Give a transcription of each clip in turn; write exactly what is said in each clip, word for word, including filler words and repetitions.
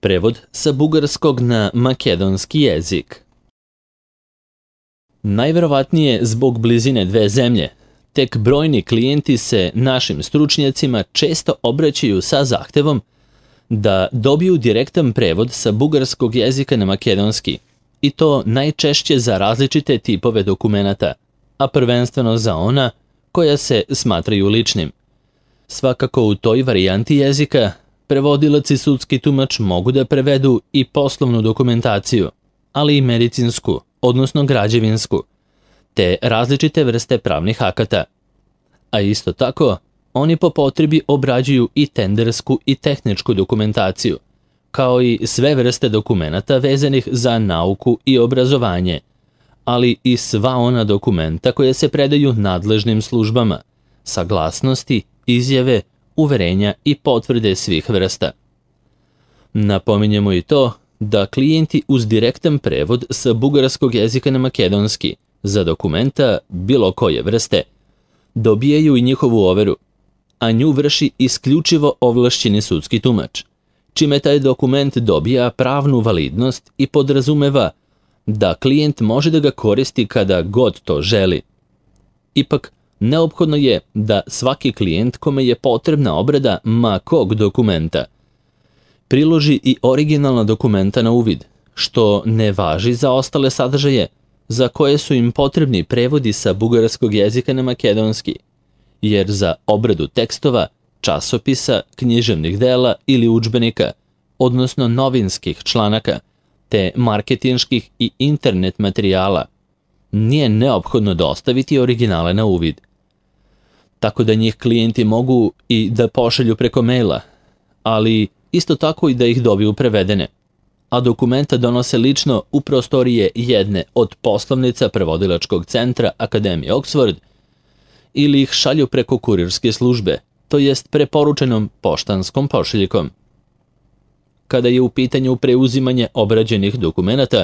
Prevod sa bugarskog na makedonski jezik. Najverovatnije zbog blizine dve zemlje, tek brojni klijenti se našim stručnjacima često obraćaju sa zahtevom da dobiju direktan prevod sa bugarskog jezika na makedonski, i to najčešće za različite tipove dokumenata, a prvenstveno za ona koja se smatraju ličnim. Svakako u toj varijanti jezika prevodilac i sudski tumač mogu da prevedu i poslovnu dokumentaciju, ali i medicinsku, odnosno građevinsku, te različite vrste pravnih akata. A isto tako, oni po potrebi obrađuju i tendersku i tehničku dokumentaciju, kao i sve vrste dokumenata vezanih za nauku i obrazovanje, ali i sva ona dokumenta koje se predaju nadležnim službama, saglasnosti, izjave, uverenja i potvrde svih vrsta. Napominjemo i to da klijenti uz direktan prevod sa bugarskog jezika na makedonski za dokumenta bilo koje vrste dobijaju i njihovu overu, a nju vrši isključivo ovlašćeni sudski tumač, čime taj dokument dobija pravnu validnost i podrazumeva da klijent može da ga koristi kada god to želi. Ipak, neophodno je da svaki klijent kome je potrebna obrada ma kog dokumenta priloži i originalna dokumenta na uvid, što ne važi za ostale sadržaje za koje su im potrebni prevodi sa bugarskog jezika na makedonski, jer za obradu tekstova, časopisa, književnih dela ili udžbenika, odnosno novinskih članaka, te marketinških i internet materijala, nije neophodno dostaviti originale na uvid. Tako da njih klijenti mogu i da pošalju preko maila, ali isto tako i da ih dobiju prevedene, a dokumenta donose lično u prostorije jedne od poslovnica prevodilačkog centra Akademije Oxford ili ih šalju preko kurirske službe, to jest preporučenom poštanskom pošiljkom. Kada je u pitanju preuzimanje obrađenih dokumenata,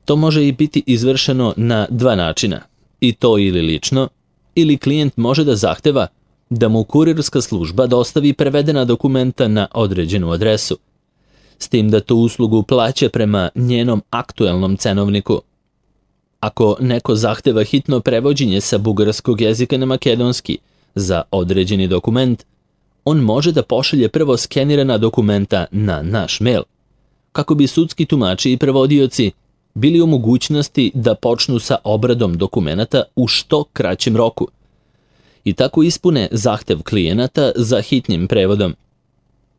to može i biti izvršeno na dva načina, i to ili lično, ili klijent može da zahteva da mu kurirska služba dostavi prevedena dokumenta na određenu adresu, s tim da tu uslugu plaća prema njenom aktuelnom cenovniku. Ako neko zahteva hitno prevođenje sa bugarskog jezika na makedonski za određeni dokument, on može da pošalje prvo skenirana dokumenta na naš mail, kako bi sudski tumači i prevodioci bili u mogućnosti da počnu sa obradom dokumenata u što kraćem roku i tako ispune zahtev klijenata za hitnim prevodom.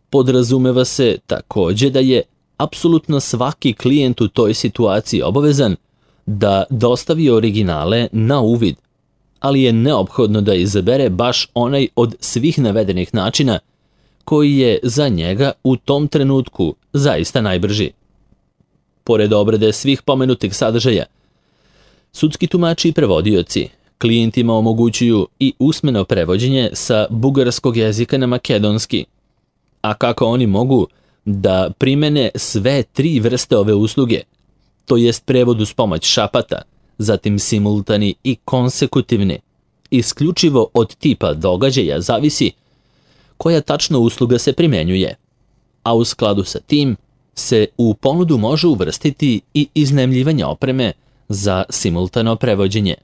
Podrazumeva se takođe da je apsolutno svaki klijent u toj situaciji obavezan da dostavi originale na uvid, ali je neophodno da izabere baš onaj od svih navedenih načina koji je za njega u tom trenutku zaista najbrži. Pored obrade svih pomenutih sadržaja, sudski tumači i prevodioci klijentima omogućuju i usmeno prevođenje sa bugarskog jezika na makedonski, a kako oni mogu da primene sve tri vrste ove usluge, to jest prevod uz pomoć šapata, zatim simultani i konsekutivni, isključivo od tipa događaja zavisi koja tačno usluga se primenjuje, a u skladu sa tim se u ponudu može uvrstiti i iznajmljivanje opreme za simultano prevođenje.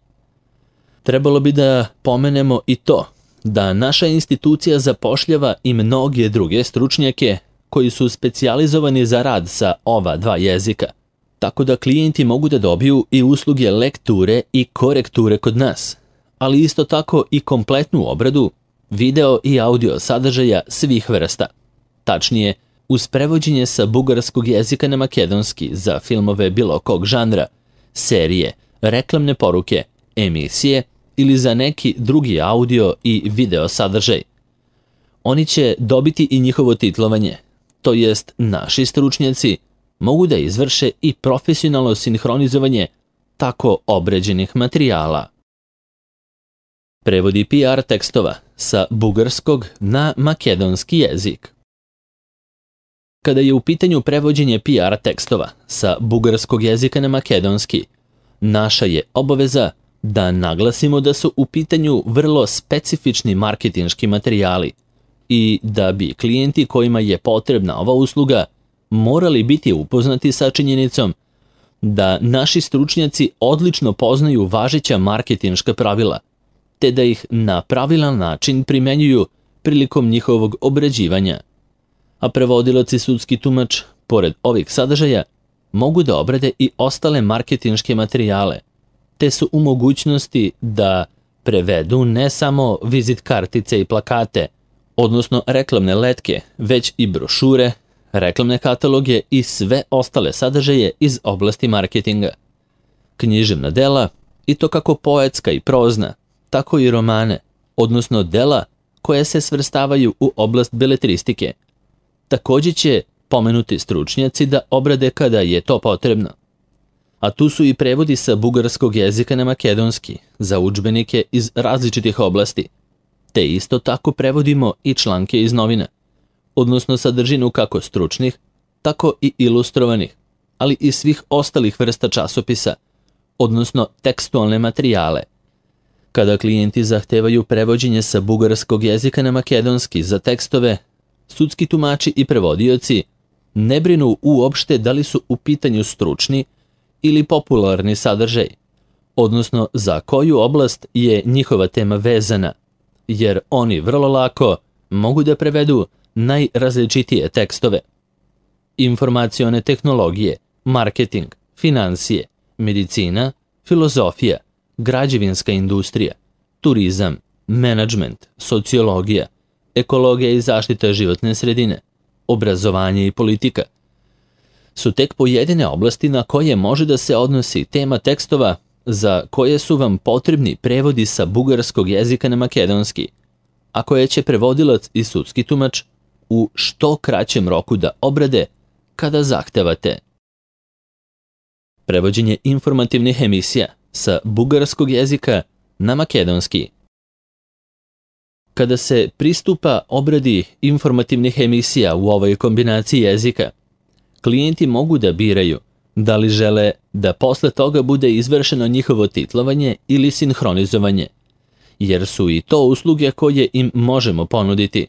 Trebalo bi da pomenemo i to da naša institucija zapošljava i mnoge druge stručnjake koji su specijalizovani za rad sa ova dva jezika, tako da klijenti mogu da dobiju i usluge lekture i korekture kod nas, ali isto tako i kompletnu obradu video i audio sadržaja svih vrsta. Tačnije, uz prevođenje sa bugarskog jezika na makedonski za filmove bilo kog žanra, serije, reklamne poruke, emisije ili za neki drugi audio i video sadržaj. Oni će dobiti i njihovo titlovanje, to jest naši stručnjaci mogu da izvrše i profesionalno sinhronizovanje tako obrađenih materijala. Prevodi P R tekstova sa bugarskog na makedonski jezik. Kada je u pitanju prevođenje P R tekstova sa bugarskog jezika na makedonski, naša je obaveza da naglasimo da su u pitanju vrlo specifični marketinški materijali i da bi klijenti kojima je potrebna ova usluga morali biti upoznati sa činjenicom da naši stručnjaci odlično poznaju važeća marketinška pravila, te da ih na pravilan način primenjuju prilikom njihovog obrađivanja. A prevodilac i sudski tumač, pored ovih sadržaja, mogu da obrade i ostale marketinške materijale, te su u mogućnosti da prevedu ne samo vizit kartice i plakate, odnosno reklamne letke, već i brošure, reklamne kataloge i sve ostale sadržaje iz oblasti marketinga. Književna dela, i to kako poetska i prozna, tako i romane, odnosno dela koje se svrstavaju u oblast beletristike. Također će pomenuti stručnjaci da obrade kada je to potrebno. A tu su i prevodi sa bugarskog jezika na makedonski za udžbenike iz različitih oblasti, te isto tako prevodimo i članke iz novina, odnosno sadržinu kako stručnih, tako i ilustrovanih, ali i svih ostalih vrsta časopisa, odnosno tekstualne materijale. Kada klijenti zahtevaju prevođenje sa bugarskog jezika na makedonski za tekstove, sudski tumači i prevodioci ne brinu uopšte da li su u pitanju stručni ili popularni sadržaj, odnosno za koju oblast je njihova tema vezana, jer oni vrlo lako mogu da prevedu najrazličitije tekstove. Informacione tehnologije, marketing, financije, medicina, filozofija, građevinska industrija, turizam, menadžment, sociologija, ekologija i zaštita životne sredine, obrazovanje i politika su tek pojedine oblasti na koje može da se odnosi tema tekstova za koje su vam potrebni prevodi sa bugarskog jezika na makedonski, a koje će prevodilac i sudski tumač u što kraćem roku da obrade kada zahtevate. Prevođenje informativnih emisija sa bugarskog jezika na makedonski. Kada se pristupa obradi informativnih emisija u ovoj kombinaciji jezika, klijenti mogu da biraju da li žele da posle toga bude izvršeno njihovo titlovanje ili sinhronizovanje, jer su i to usluge koje im možemo ponuditi.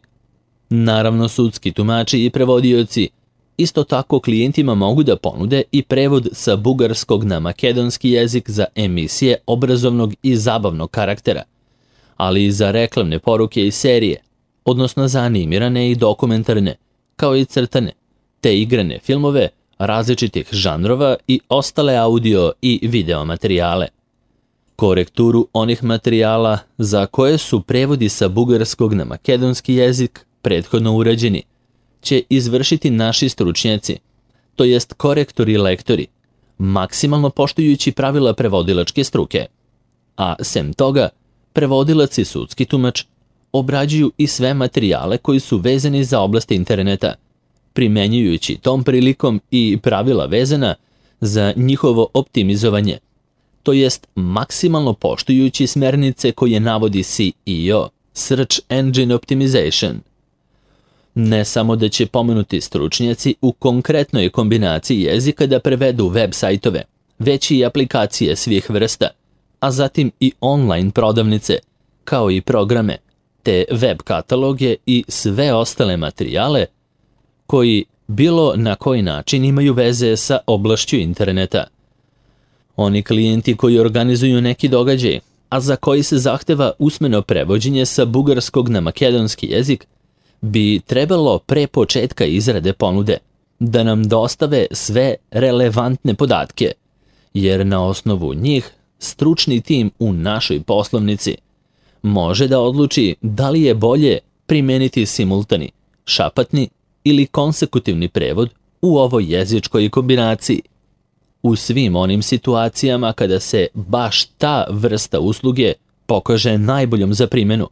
Naravno, sudski tumači i prevodioci isto tako klijentima mogu da ponude i prevod sa bugarskog na makedonski jezik za emisije obrazovnog i zabavnog karaktera, ali i za reklamne poruke i serije, odnosno za animirane i dokumentarne, kao i crtane, te igrane filmove različitih žanrova i ostale audio i video materijale. Korekturu onih materijala za koje su prevodi sa bugarskog na makedonski jezik prethodno urađeni će izvršiti naši stručnjaci, to jest korektori i lektori, maksimalno poštujući pravila prevodilačke struke. A sem toga, prevodilac i sudski tumač obrađuju i sve materijale koji su vezani za oblast interneta, primenjujući tom prilikom i pravila vezana za njihovo optimizovanje, to jest maksimalno poštujući smernice koje navodi S E O, Search Engine Optimization. Ne samo da će pomenuti stručnjaci u konkretnoj kombinaciji jezika da prevedu web sajtove, već i aplikacije svih vrsta, a zatim i online prodavnice, kao i programe, te web kataloge i sve ostale materijale koji bilo na koji način imaju veze sa oblašću interneta. Oni klijenti koji organizuju neki događaj, a za koji se zahteva usmeno prevođenje sa bugarskog na makedonski jezik, bi trebalo pre početka izrade ponude da nam dostave sve relevantne podatke, jer na osnovu njih stručni tim u našoj poslovnici može da odluči da li je bolje primeniti simultani, šapatni ili konsekutivni prevod u ovoj jezičkoj kombinaciji. U svim onim situacijama kada se baš ta vrsta usluge pokaže najboljom za primjenu,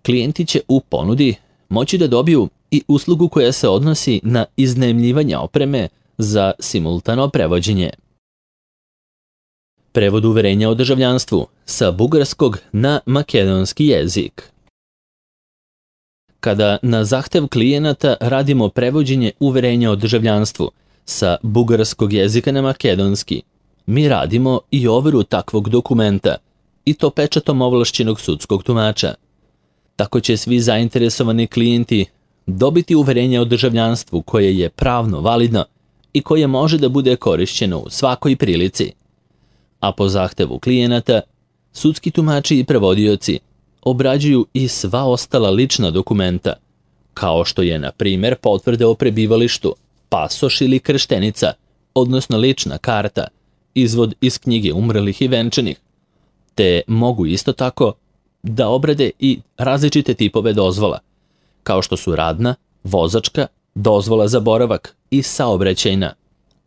klijenti će u ponudi moći da dobiju i uslugu koja se odnosi na iznajmljivanje opreme za simultano prevođenje. Prevod uverenja o državljanstvu sa bugarskog na makedonski jezik. Kada na zahtev klijenata radimo prevođenje uverenja o državljanstvu sa bugarskog jezika na makedonski, mi radimo i overu takvog dokumenta, i to pečatom ovlašćenog sudskog tumača. Tako će svi zainteresovani klijenti dobiti uverenje o državljanstvu koje je pravno validno i koje može da bude korišćeno u svakoj prilici. A po zahtevu klijenata, sudski tumači i prevodioci obrađuju i sva ostala lična dokumenta, kao što je, na primjer, potvrde o prebivalištu, pasoš ili krštenica, odnosno lična karta, izvod iz knjige umrlih i venčanih, te mogu isto tako da obrade i različite tipove dozvola, kao što su radna, vozačka, dozvola za boravak i saobraćajna,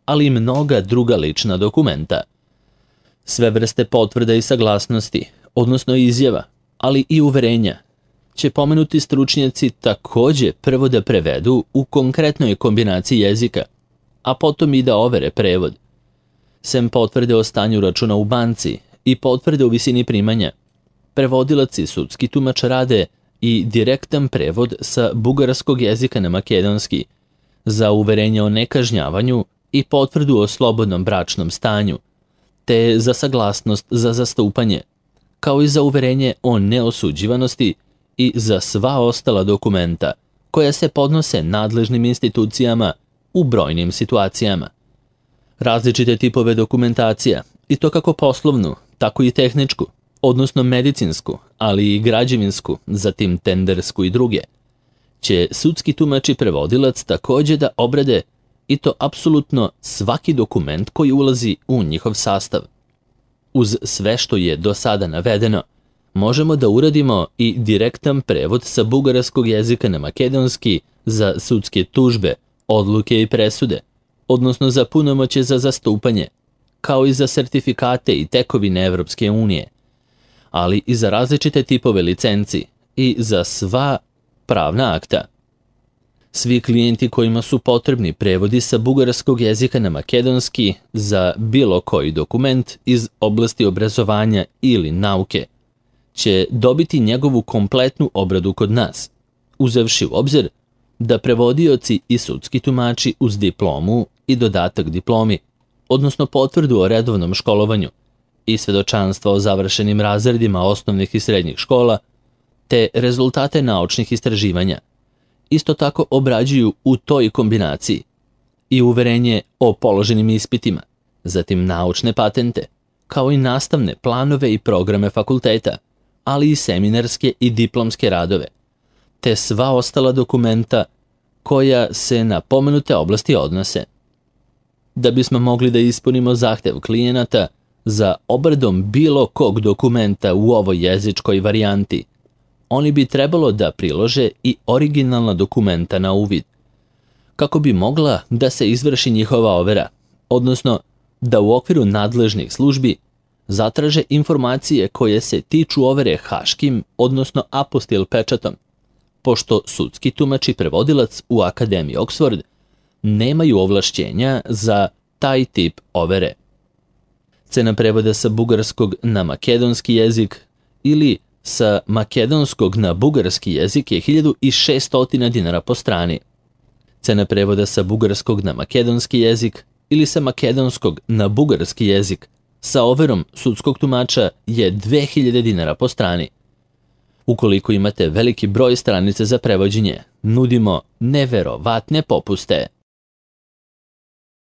ali i mnoga druga lična dokumenta. Sve vrste potvrda i saglasnosti, odnosno izjava, ali i uverenja, će pomenuti stručnjaci takođe prvo da prevedu u konkretnoj kombinaciji jezika, a potom i da overe prevod. Sem potvrde o stanju računa u banci i potvrde o visini primanja, prevodilac i sudski tumač rade i direktan prevod sa bugarskog jezika na makedonski, za uverenje o nekažnjavanju i potvrdu o slobodnom bračnom stanju, te za saglasnost za zastupanje, kao i za uverenje o neosuđivanosti i za sva ostala dokumenta koja se podnose nadležnim institucijama u brojnim situacijama. Različite tipove dokumentacija, i to kako poslovnu, tako i tehničku, odnosno medicinsku, ali i građevinsku, zatim tendersku i druge, će sudski tumač i prevodilac takođe da obrade, i to apsolutno svaki dokument koji ulazi u njihov sastav. Uz sve što je do sada navedeno, možemo da uradimo i direktan prevod sa bugarskog jezika na makedonski za sudske tužbe, odluke i presude, odnosno za punomoćje za zastupanje, kao i za sertifikate i tekovine Evropske unije, ali i za različite tipove licenci i za sva pravna akta. Svi klijenti kojima su potrebni prevodi sa bugarskog jezika na makedonski za bilo koji dokument iz oblasti obrazovanja ili nauke će dobiti njegovu kompletnu obradu kod nas, uzevši u obzir da prevodioci i sudski tumači uz diplomu i dodatak diplomi, odnosno potvrdu o redovnom školovanju i svedočanstva o završenim razredima osnovnih i srednjih škola, te rezultate naučnih istraživanja, isto tako obrađuju u toj kombinaciji i uverenje o položenim ispitima, zatim naučne patente, kao i nastavne planove i programe fakulteta, ali i seminarske i diplomske radove, te sva ostala dokumenta koja se na pomenute oblasti odnose. Da bismo mogli da ispunimo zahtev klijenata za obradom bilo kog dokumenta u ovoj jezičkoj varijanti, oni bi trebalo da prilože i originalna dokumenta na uvid, kako bi mogla da se izvrši njihova overa, odnosno da u okviru nadležnih službi zatraže informacije koje se tiču overe haškim, odnosno apostil pečatom, pošto sudski tumač i prevodilac u Akademiji Oxford nemaju ovlašćenja za taj tip overe. Cena prevoda sa bugarskog na makedonski jezik ili sa makedonskog na bugarski jezik je hiljadu šesto dinara po strani. Cena prevoda sa bugarskog na makedonski jezik ili sa makedonskog na bugarski jezik sa overom sudskog tumača je dve hiljade dinara po strani. Ukoliko imate veliki broj stranica za prevođenje, nudimo neverovatne popuste.